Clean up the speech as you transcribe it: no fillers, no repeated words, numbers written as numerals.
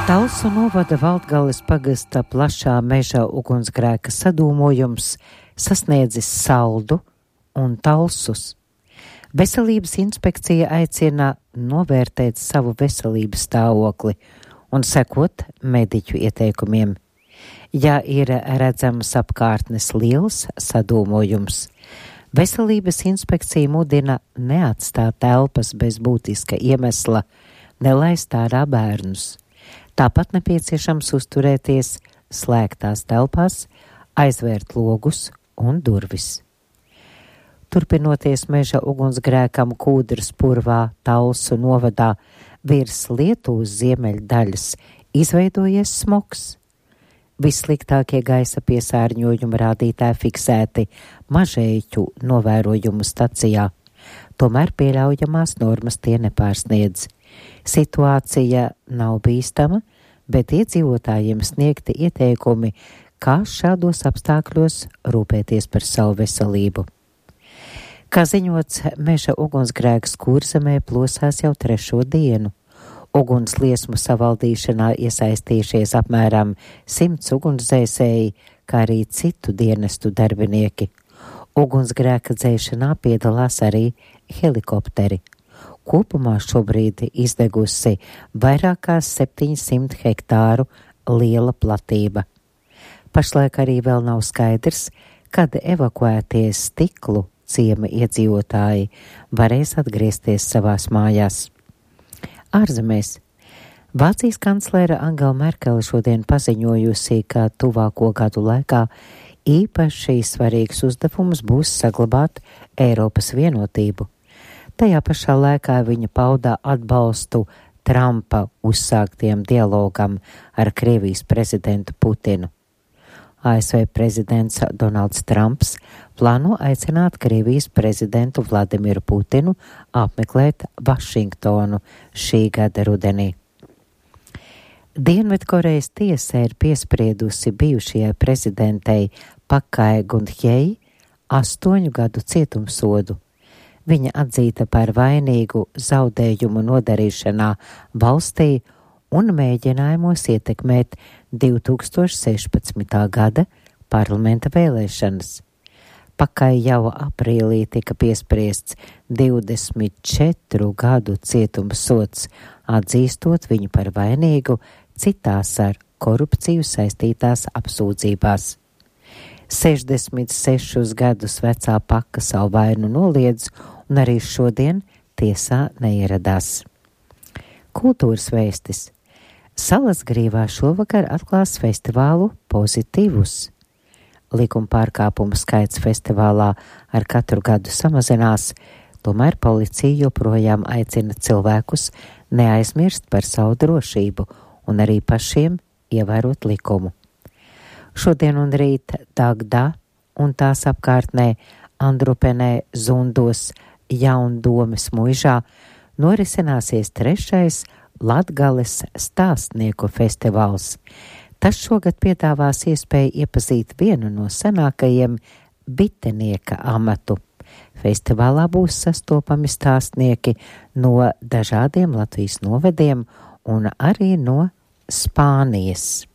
Talsu novada Valdgales pagasta plašā meža ugunsgrēka sadūmojums sasniedzis Saldu un Talsus. Veselības inspekcija aicina novērtēt savu veselības stāvokli un sekot mediķu ieteikumiem. Ja ir redzams apkārtnes liels sadūmojums, veselības inspekcija mudina neatstāt telpas bez būtiska iemesla, nelaist ārā bērnus. Tāpat nepieciešams uzturēties slēgtās telpās, aizvērt logus un durvis. Turpinoties meža ugunsgrēkam Kūdras purvā Talsu novadā virs Lietuvas ziemeļdaļas izveidojies smogs. Vissliktākie gaisa piesārņojuma rādītāji fiksēti Mažeiķu novērojumu stacijā, tomēr pieļaujamās normas tie nepārsniedz. Situācija nav bīstama, bet iedzīvotājiem sniegti ieteikumi, kā šādos apstākļos rūpēties par savu veselību. Kā ziņots, meža ugunsgrēks Kurzemē plosās jau 3. dienu. Ugunsliesmu savaldīšanā iesaistījušies apmēram 100 ugunsdzēsēji, kā arī citu dienestu darbinieki. Ugunsgrēka dzēšanā piedalās arī helikopteri. Kopumā šobrīd izdegusi vairāk kā 700 hektāru liela platība. Pašlaik arī vēl nav skaidrs, kad evakuētie Stiklu ciema iedzīvotāji varēs atgriezties savās mājās. Ārzemēs. Vācijas kanclere Angela Merkele šodien paziņojusi, ka tuvāko gadu laikā īpaši svarīgs uzdevums būs saglabāt Eiropas vienotību. Tajā pašā laikā viņa pauda atbalstu Trumpa uzsāktiem dialogam ar Krievijas prezidentu Putinu. ASV prezidents Donalds Trumps plāno aicināt Krievijas prezidentu Vladimiru Putinu apmeklēt Vašingtonu šī gada rudenī. Dienvidkorejas tiesa ir piespriedusi bijušajai prezidentei Pakai Gunhjei 8 gadu cietumsodu. Viņa atzīta par vainīgu zaudējumu nodarīšanā valstī un mēģinājumos ietekmēt 2016. gada parlamenta vēlēšanas. Pakai jau aprīlī tika piespriests 24 gadu cietumsods, atzīstot viņu par vainīgu citās ar korupciju saistītās apsūdzībās. 66 gadus vecā Paka savu vainu noliedz un arī šodien tiesā neieradās. Kultūras vēstis. Salasgrīvā šovakar atklās festivālu Pozitīvus. Likuma pārkāpumu skaits festivālā ar katru gadu samazinās, tomēr policija joprojām aicina cilvēkus neaizmirst par savu drošību un arī pašiem ievērot likumu. Šodien un rīt Dagdā un tās apkārtnē Andrupenē, Zundos, Jaundomes muižā norisināsies 3. Latgales stāstnieku festivāls. Tas šogad piedāvās iespēju iepazīt vienu no senākajiem bitenieka amatu. Festivālā būs sastopami stāstnieki no dažādiem Latvijas novediem un arī no Spānijas.